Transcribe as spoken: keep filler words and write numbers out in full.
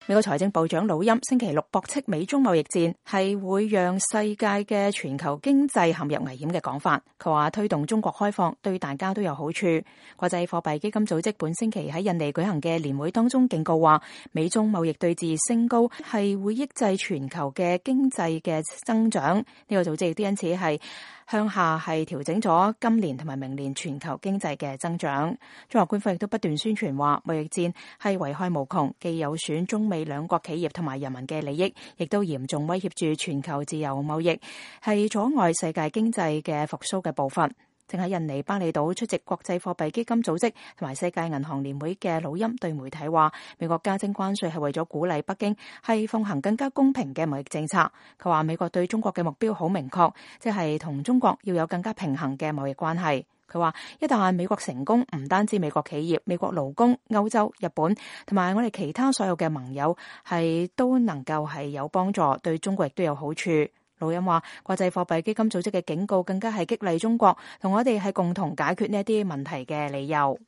美國財政部長魯欽星期六駁斥美中貿易戰係會讓世界嘅全球經濟陷入危險嘅講法。佢話推動中國開放對大家都有好處。國際貨幣基金組織本星期喺印尼舉行嘅年會當中警告話，美中貿易對峙升高係會抑制全球嘅經濟嘅增長。呢個組織亦都因此係向下係調整咗今年同埋明年全球經濟嘅增長。中國官方亦都不斷宣傳話，貿易戰係危害無窮，既有損中美兩國企業同埋人民嘅利益，亦都嚴重威脅住全球自由貿易，係阻礙世界經濟嘅復甦嘅步伐。正喺印尼巴厘島出席國際貨幣基金組織同埋世界銀行年會嘅魯欽對媒體話，美國加徵關稅係為咗鼓勵北京係奉行更加公平嘅貿易政策。佢話美國對中國嘅目標好明確，即係同中國要有更加平衡嘅貿易關係。佢話一旦美國成功，唔單止美國企業、美國勞工、歐洲、日本同埋我哋其他所有嘅盟友係都能夠係有幫助，對中國亦都有好處。魯欽話，國際貨幣基金組織嘅警告更加係激勵中國同我哋係共同解決呢一啲問題嘅理由。